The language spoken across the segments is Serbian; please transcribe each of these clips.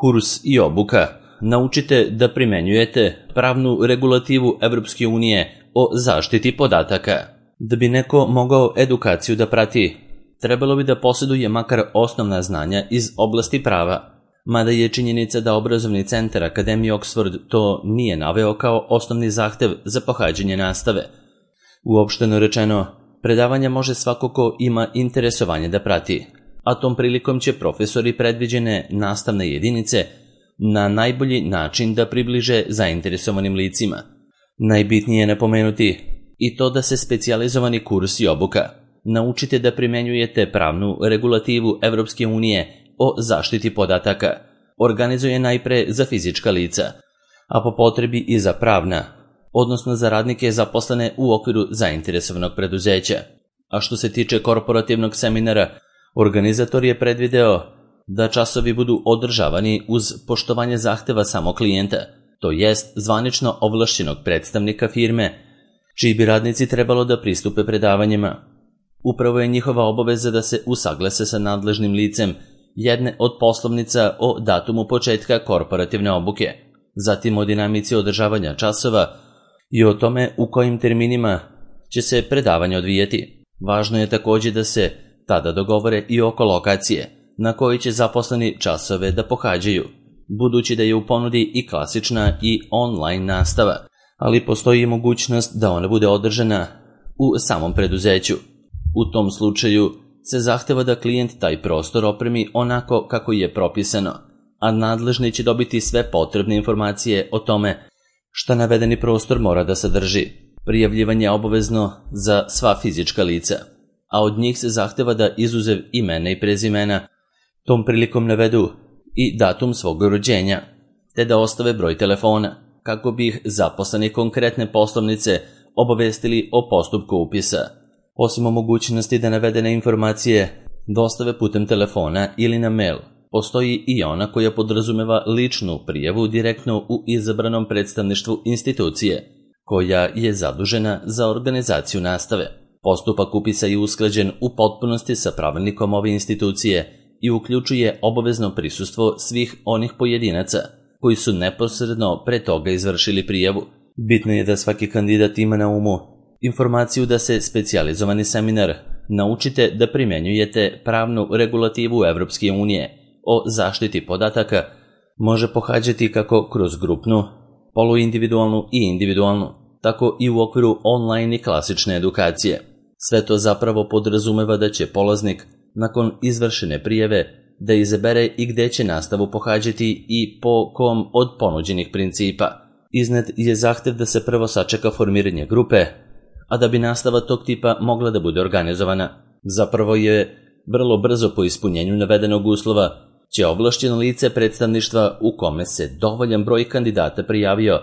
Kurs i obuka. Naučite da primenjujete pravnu regulativu Evropske unije o zaštiti podataka. Da bi neko mogao edukaciju da prati, trebalo bi da posjeduje makar osnovna znanja iz oblasti prava, mada je činjenica da obrazovni centar Akademije Oxford to nije naveo kao osnovni zahtev za pohađanje nastave. Uopšteno rečeno, predavanja može svako ko ima interesovanje da prati, a tom prilikom će profesori predviđene nastavne jedinice na najbolji način da približe zainteresovanim licima. Najbitnije je napomenuti i to da se specijalizovani kurs i obuka. Naučite da primenjujete pravnu regulativu Evropske unije o zaštiti podataka. Organizuje najpre za fizička lica, a po potrebi i za pravna, odnosno za radnike zaposlene u okviru zainteresovanog preduzeća. A što se tiče korporativnog seminara, organizator je predvideo da časovi budu održavani uz poštovanje zahteva samo klijenta, to jest zvanično ovlašćenog predstavnika firme, čiji bi radnici trebalo da pristupe predavanjima. Upravo je njihova obaveza da se usaglase sa nadležnim licem jedne od poslovnica o datumu početka korporativne obuke, zatim o dinamici održavanja časova i o tome u kojim terminima će se predavanje odvijeti. Važno je također da se tada dogovore i oko lokacije na kojoj će zaposleni časove da pohađaju, budući da je u ponudi i klasična i online nastava, ali postoji i mogućnost da ona bude održana u samom preduzeću. U tom slučaju se zahteva da klijent taj prostor opremi onako kako je propisano, a nadležni će dobiti sve potrebne informacije o tome šta navedeni prostor mora da sadrži. Prijavljivanje je obavezno za sva fizička lica, a od njih se zahteva da izuzev imena i prezimena tom prilikom navedu i datum svog rođenja, te da ostave broj telefona, kako bi ih zaposleni konkretne poslovnice obavestili o postupku upisa. Osim o mogućnosti da navedene informacije dostave putem telefona ili na mail, postoji i ona koja podrazumeva ličnu prijavu direktno u izabranom predstavništvu institucije, koja je zadužena za organizaciju nastave. Postupak upisa je usklađen u potpunosti sa pravilnikom ove institucije i uključuje obavezno prisustvo svih onih pojedinaca koji su neposredno pre toga izvršili prijavu. Bitno je da svaki kandidat ima na umu informaciju da se specijalizovani seminar Naučite da primenjujete pravnu regulativu Evropske unije o zaštiti podataka može pohađati kako kroz grupnu, poluindividualnu i individualnu, tako i u okviru online i klasične edukacije. Sve to zapravo podrazumeva da će polaznik nakon izvršene prijave da izabere i gde će nastavu pohađati i po kom od ponuđenih principa. Iznet je zahtev da se prvo sačeka formiranje grupe, a da bi nastava tog tipa mogla da bude organizovana. Zapravo je vrlo brzo po ispunjenju navedenog uslova će ovlašćeno lice predstavništva u kome se dovoljan broj kandidata prijavio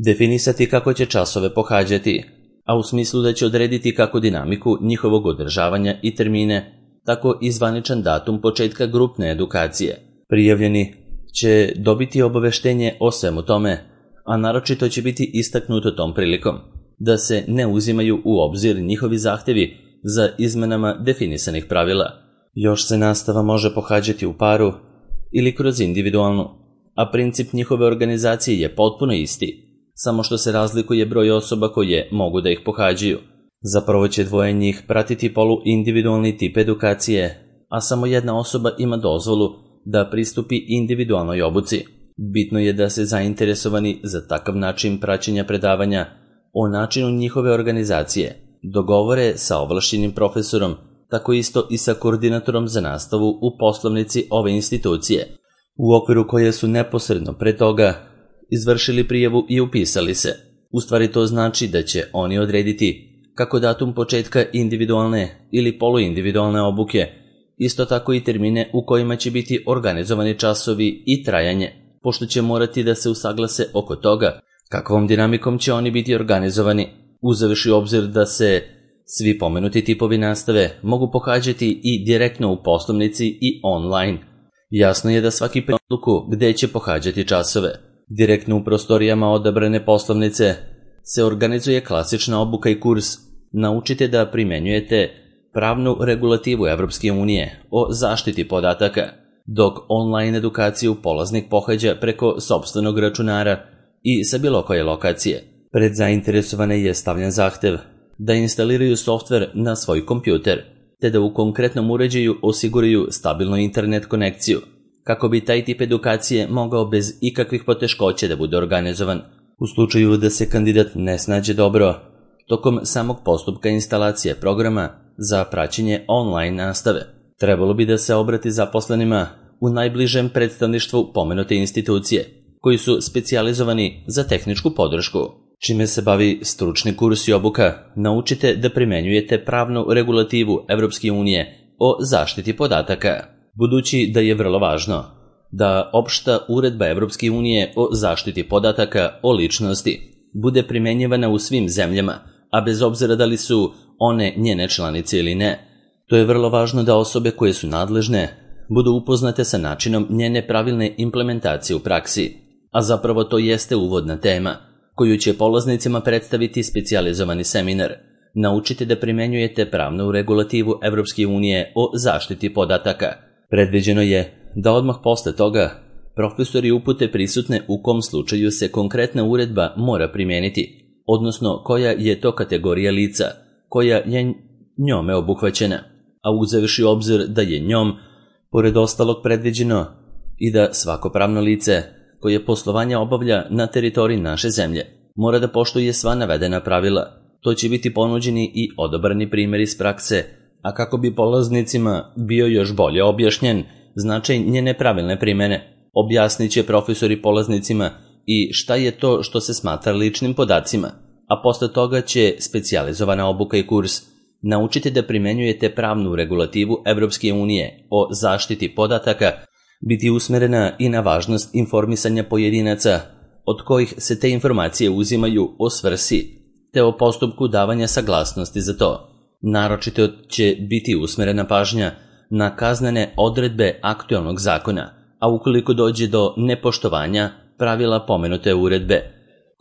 definisati kako će časove pohađati, a u smislu da će odrediti kako dinamiku njihovog održavanja i termine, tako i zvaničan datum početka grupne edukacije. Prijavljeni će dobiti obaveštenje o svemu tome, a naročito će biti istaknuto tom prilikom da se ne uzimaju u obzir njihovi zahtevi za izmenama definisanih pravila. Još se nastava može pohađati u paru ili kroz individualnu, a princip njihove organizacije je potpuno isti, samo što se razlikuje broj osoba koje mogu da ih pohađaju. Zapravo će dvoje njih pratiti poluindividualni tip edukacije, a samo jedna osoba ima dozvolu da pristupi individualnoj obuci. Bitno je da se zainteresovani za takav način praćenja predavanja o načinu njihove organizacije dogovore sa ovlašćenim profesorom, tako isto i sa koordinatorom za nastavu u poslovnici ove institucije, u okviru koje su neposredno pre toga izvršili prijavu i upisali se. U stvari to znači da će oni odrediti kako datum početka individualne ili poluindividualne obuke, isto tako i termine u kojima će biti organizovani časovi i trajanje, pošto će morati da se usaglase oko toga kakvom dinamikom će oni biti organizovani, uzevši u obzir da se svi pomenuti tipovi nastave mogu pohađati i direktno u poslovnici i online. Jasno je da svaki odluku gde će pohađati časove. Direktno u prostorijama odabrane poslovnice se organizuje klasična obuka i kurs Naučite da primenjujete pravnu regulativu Evropske unije o zaštiti podataka. dok online edukaciju polaznik pohađa preko sopstvenog računara i sa bilo koje lokacije. Pred zainteresovane je stavljen zahtev da instaliraju softver na svoj kompjuter, te da u konkretnom uređaju osiguraju stabilnu internet konekciju, kako bi taj tip edukacije mogao bez ikakvih poteškoća da bude organizovan. U slučaju da se kandidat ne snađe dobro tokom samog postupka instalacije programa za praćenje online nastave, trebalo bi da se obrati zaposlenima u najbližem predstavništvu pomenute institucije, koji su specijalizovani za tehničku podršku. Čime se bavi stručni kurs i obuka, naučite da primenjujete pravnu regulativu Evropske unije o zaštiti podataka. Budući da je vrlo važno da opšta uredba Evropske unije o zaštiti podataka o ličnosti bude primenjivana u svim zemljama, a bez obzira da li su one njene članice ili ne, to je vrlo važno da osobe koje su nadležne budu upoznate sa načinom njene pravilne implementacije u praksi, a zapravo to jeste uvodna tema koju će polaznicima predstaviti specijalizovani seminar. Naučite da primenjujete pravnu regulativu Evropske unije o zaštiti podataka. Predviđeno je da odmah posle toga profesori upute prisutne u kom slučaju se konkretna uredba mora primeniti, odnosno koja je to kategorija lica koja je njome obuhvaćena, a uzevši u obzir da je njom, pored ostalog, predviđeno i da svako pravno lice koje poslovanje obavlja na teritoriji naše zemlje mora da poštuje sva navedena pravila. To će biti ponuđeni i odabrani primjer iz prakse, a kako bi polaznicima bio još bolje objašnjen značaj njene pravilne primene, objasnit će profesori polaznicima i šta je to što se smatra ličnim podacima, a posle toga će specijalizovana obuka i kurs naučite da primenjujete pravnu regulativu Evropske unije o zaštiti podataka biti usmerena i na važnost informisanja pojedinaca od kojih se te informacije uzimaju o svrsi, te o postupku davanja saglasnosti za to. Naročito će biti usmerena pažnja na kaznene odredbe aktuelnog zakona, a ukoliko dođe do nepoštovanja pravila pomenute uredbe.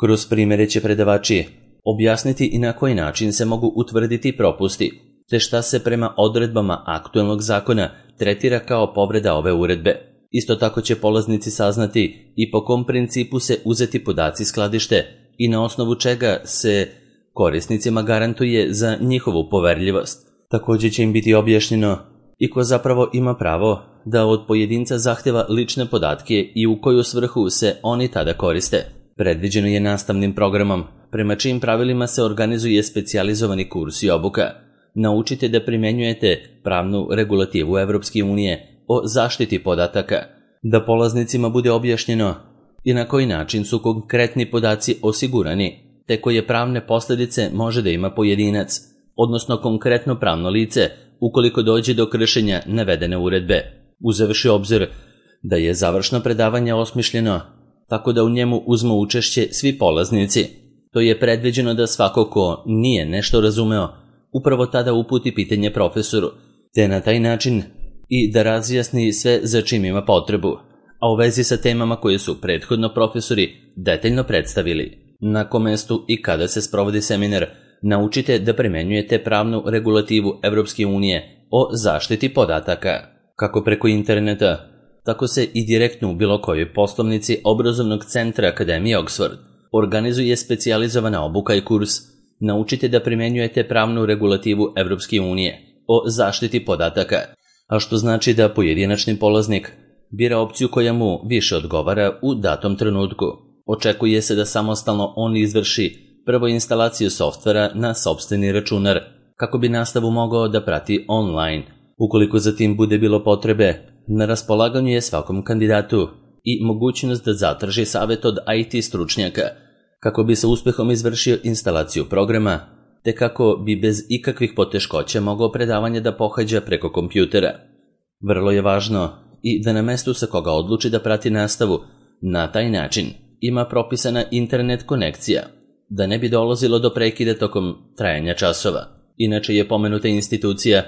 Kroz primjere će predavači objasniti i na koji način se mogu utvrditi propusti, te šta se prema odredbama aktuelnog zakona tretira kao povreda ove uredbe. Isto tako će polaznici saznati i po kom principu se uzeti podaci skladište i na osnovu čega se korisnicima garantuje za njihovu poverljivost. Također će im biti objašnjeno i ko zapravo ima pravo da od pojedinca zahteva lične podatke i u koju svrhu se oni tada koriste. Predviđeno je nastavnim programom, prema čijim pravilima se organizuje specijalizovani kurs i obuka. Naučite da primenjujete pravnu regulativu Evropske unije o zaštiti podataka, da polaznicima bude objašnjeno i na koji način su konkretni podaci osigurani, te koje pravne posljedice može da ima pojedinac, odnosno konkretno pravno lice, ukoliko dođe do kršenja navedene uredbe, uzevši obzir da je završno predavanje osmišljeno tako da u njemu uzmu učešće svi polaznici. To je predviđeno da svako ko nije nešto razumeo upravo tada uputi pitanje profesoru, te na taj način i da razjasni sve za čim ima potrebu, a u vezi sa temama koje su prethodno profesori detaljno predstavili. Na kom mestu i kada se sprovodi seminar, naučite da primenjujete pravnu regulativu Evropske unije o zaštiti podataka, kako preko interneta, tako se i direktno u bilo kojoj poslovnici obrazovnog centra Akademije Oxford organizuje specijalizovana obuka i kurs. Naučite da primenjujete pravnu regulativu Evropske unije o zaštiti podataka, a što znači da pojedinačni polaznik bira opciju koja mu više odgovara u datom trenutku. Očekuje se da samostalno on izvrši prvo instalaciju softvera na sopstveni računar, kako bi nastavu mogao da prati online. Ukoliko za tim bude bilo potrebe, na raspolaganju je svakom kandidatu i mogućnost da zatraži savjet od IT stručnjaka, kako bi sa uspehom izvršio instalaciju programa, te kako bi bez ikakvih poteškoća mogao predavanje da pohađa preko kompjutera. Vrlo je važno i da na mestu sa koga odluči da prati nastavu, na taj način ima propisana internet konekcija, da ne bi dolazilo do prekida tokom trajanja časova. Inače je pomenuta institucija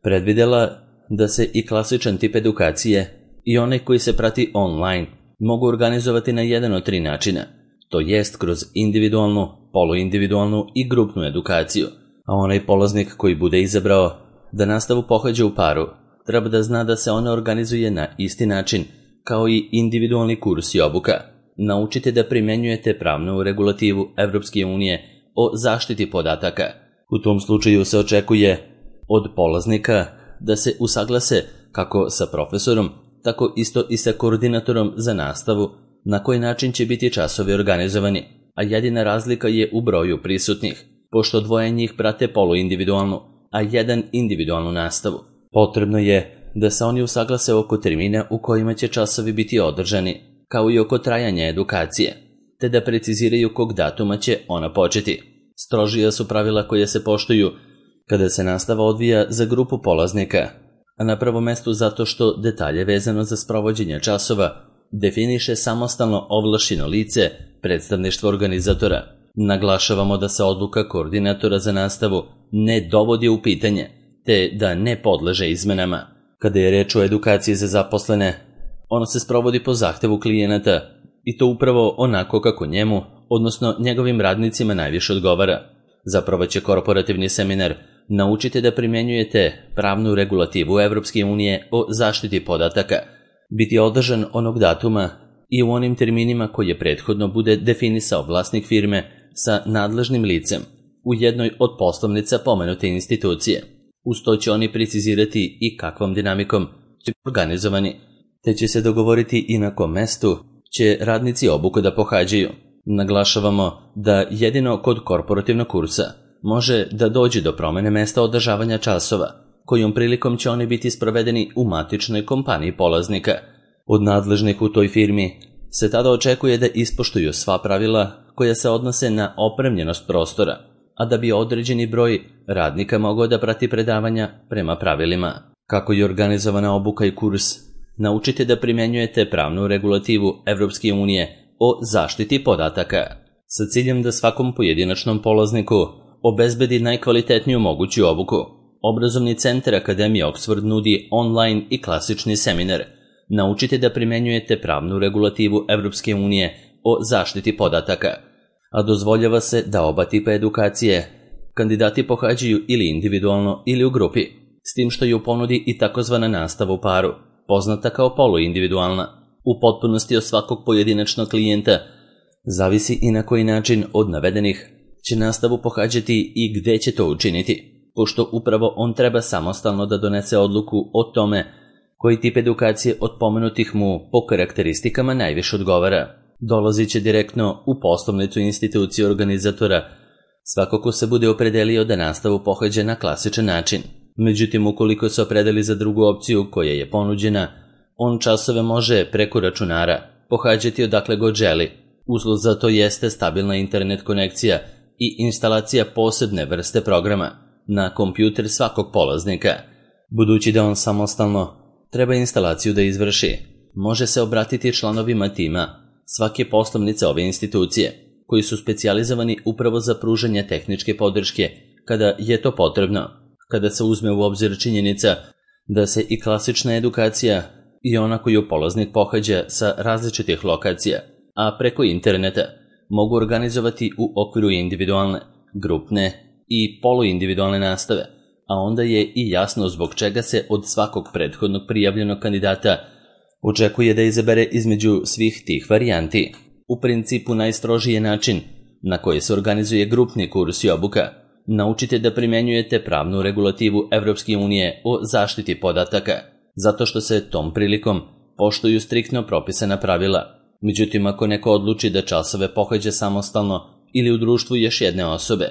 predvidela da se i klasičan tip edukacije i onaj koji se prati online mogu organizovati na jedan od 3 načina, to jest kroz individualnu, poluindividualnu i grupnu edukaciju, a onaj polaznik koji bude izabrao da nastavu pohađa u paru treba da zna da se ona organizuje na isti način kao i individualni kurs i obuka. Naučite da primenjujete pravnu regulativu Evropske unije o zaštiti podataka. U tom slučaju se očekuje od polaznika da se usaglase kako sa profesorom, tako isto i sa koordinatorom za nastavu, na koji način će biti časovi organizovani, a jedina razlika je u broju prisutnih, pošto dvoje njih prate poluindividualnu, a jedan individualnu nastavu. Potrebno je da se oni usaglase oko termina u kojima će časovi biti održani, kao i oko trajanja edukacije, te da preciziraju kog datuma će ona početi. Strožija su pravila koje se poštuju kada se nastava odvija za grupu polaznika, a na prvom mestu zato što detalje vezano za sprovođenje časova definiše samostalno ovlašćeno lice predstavništva organizatora. Naglašavamo da se odluka koordinatora za nastavu ne dovodi u pitanje, te da ne podleže izmenama. Kada je reč o edukaciji za zaposlene, ono se sprovodi po zahtevu klijenata i to upravo onako kako njemu, odnosno njegovim radnicima najviše odgovara. Zapravo će korporativni seminar Naučite da primenjujete pravnu regulativu Evropske unije o zaštiti podataka biti održan onog datuma i u onim terminima koje prethodno bude definisao vlasnik firme sa nadležnim licem u jednoj od poslovnica pomenute institucije. Uz to će oni precizirati i kakvom dinamikom će biti organizovani, te će se dogovoriti i na kom mestu će radnici obuku da pohađaju. Naglašavamo da jedino kod korporativnog kursa može da dođe do promene mesta održavanja časova, kojom prilikom će oni biti sprovedeni u matičnoj kompaniji polaznika. Od nadležnih u toj firmi se tada očekuje da ispoštuju sva pravila koja se odnose na opremljenost prostora, a da bi određeni broj radnika mogao da prati predavanja prema pravilima. Kako je organizovana obuka i kurs, naučite da primenjujete pravnu regulativu Evropske unije o zaštiti podataka, sa ciljem da svakom pojedinačnom polazniku obezbedi najkvalitetniju moguću obuku. Obrazovni centar Akademije Oxford nudi online i klasični seminar. Naučite da primenjujete pravnu regulativu Evropske unije o zaštiti podataka, a dozvoljava se da oba tipa edukacije kandidati pohađaju ili individualno ili u grupi, s tim što je u ponudi i takozvana nastava u paru, poznata kao poluindividualna. U potpunosti od svakog pojedinačnog klijenta zavisi i na koji način od navedenih će nastavu pohađati i gde će to učiniti, pošto upravo on treba samostalno da donese odluku o tome koji tip edukacije od pomenutih mu po karakteristikama najviše odgovara. Dolazit će direktno u poslovnicu institucije organizatora svako ko se bude opredelio da nastavu pohađa na klasičan način. Međutim, ukoliko se opredeli za drugu opciju koja je ponuđena, on časove može preko računara pohađati odakle god želi. Uslov za to jeste stabilna internet konekcija i instalacija posebne vrste programa na kompjuter svakog polaznika. Budući da on samostalno treba instalaciju da izvrši, može se obratiti članovima tima svake poslovnice ove institucije, koji su specijalizovani upravo za pružanje tehničke podrške kada je to potrebno. Kada se uzme u obzir činjenica da se i klasična edukacija i ona koju polaznik pohađa sa različitih lokacija, a preko interneta, mogu organizovati u okviru individualne, grupne i poluindividualne nastave, a onda je i jasno zbog čega se od svakog prethodnog prijavljenog kandidata očekuje da izabere između svih tih varijanti. U principu najstrožiji je način na koji se organizuje grupni kurs i obuka. Naučite da primenjujete pravnu regulativu Evropske unije o zaštiti podataka, zato što se tom prilikom poštuju striktno propisana pravila. Međutim, ako neko odluči da časove pohađa samostalno ili u društvu još jedne osobe,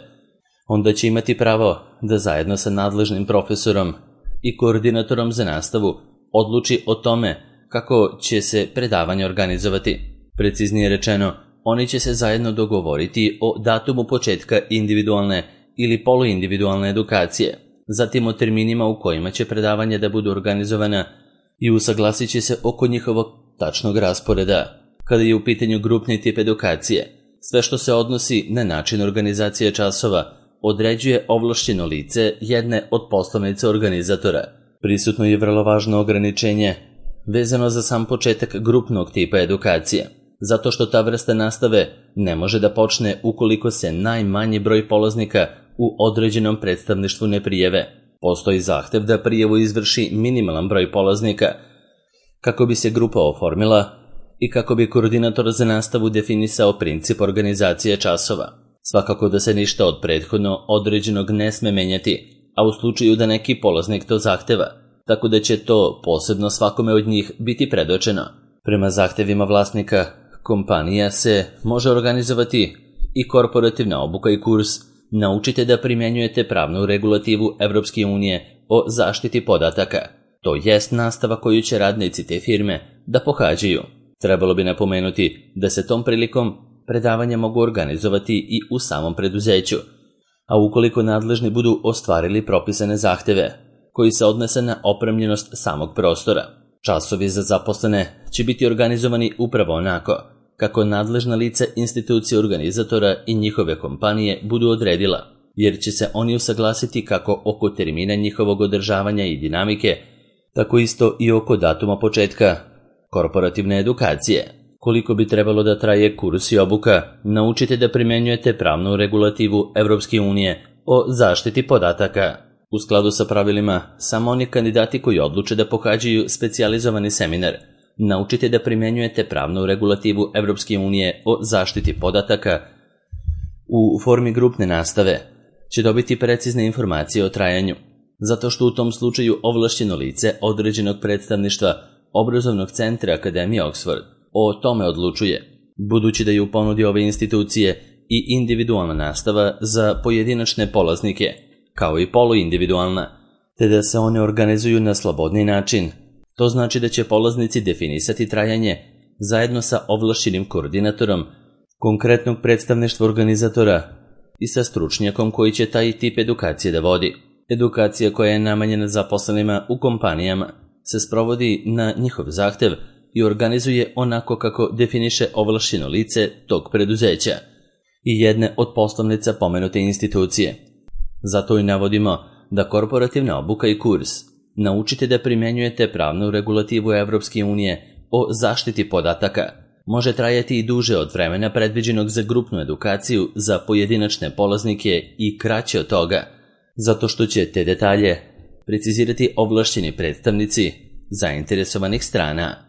onda će imati pravo da zajedno sa nadležnim profesorom i koordinatorom za nastavu odluči o tome kako će se predavanje organizovati. Preciznije rečeno, oni će se zajedno dogovoriti o datumu početka individualne ili poluindividualne edukacije, zatim o terminima u kojima će predavanja da budu organizovana i usaglasit će se oko njihovog tačnog rasporeda. Kada je u pitanju grupni tip edukacije, sve što se odnosi na način organizacije časova određuje ovlašćeno lice jedne od poslovnice organizatora. Prisutno je vrlo važno ograničenje vezano za sam početak grupnog tipa edukacije, zato što ta vrsta nastave ne može da počne ukoliko se najmanji broj polaznika u određenom predstavništvu ne prijave. Postoji zahtev da prijavu izvrši minimalan broj polaznika kako bi se grupa oformila i kako bi koordinator za nastavu definisao princip organizacije časova. Svakako da se ništa od prethodno određenog ne sme menjati, a u slučaju da neki polaznik to zahteva, tako da će to posebno svakome od njih biti predočeno. Prema zahtevima vlasnika kompanija se može organizovati i korporativna obuka i kurs Naučite da primjenjujete pravnu regulativu Evropske unije o zaštiti podataka. To jest nastava koju će radnici te firme da pohađaju. Trebalo bi napomenuti da se tom prilikom predavanja mogu organizovati i u samom preduzeću, a ukoliko nadležni budu ostvarili propisane zahteve koji se odnose na opremljenost samog prostora. Časovi za zaposlene će biti organizovani upravo onako kako nadležna lice institucije organizatora i njihove kompanije budu odredila, jer će se oni usaglasiti kako oko termina njihovog održavanja i dinamike, tako isto i oko datuma početka korporativne edukacije. Koliko bi trebalo da traje kurs i obuka, naučite da primjenjujete pravnu regulativu Evropske unije o zaštiti podataka. U skladu sa pravilima, samo oni kandidati koji odluče da pohađaju specijalizovani seminar, naučite da primjenjujete pravnu regulativu Evropske unije o zaštiti podataka u formi grupne nastave, će dobiti precizne informacije o trajanju, zato što u tom slučaju ovlašćeno lice određenog predstavništva obrazovnog centra Akademije Oxford o tome odlučuje, budući da je u ponudi ove institucije i individualna nastava za pojedinačne polaznike, kao i poluindividualna, te da se one organizuju na slobodni način. To znači da će polaznici definisati trajanje zajedno sa ovlašćenim koordinatorom konkretnog predstavništva organizatora i sa stručnjakom koji će taj tip edukacije da vodi. Edukacija koja je namenjena zaposlenima u kompanijama se sprovodi na njihov zahtev i organizuje onako kako definiše ovlašćeno lice tog preduzeća i jedne od poslovnica pomenute institucije. Zato i navodimo da korporativna obuka i kurs Naučite da primjenjujete pravnu regulativu Evropske unije o zaštiti podataka može trajati i duže od vremena predviđenog za grupnu edukaciju za pojedinačne polaznike i kraće od toga, zato što će te detalje precizirati ovlašćeni predstavnici zainteresovanih strana.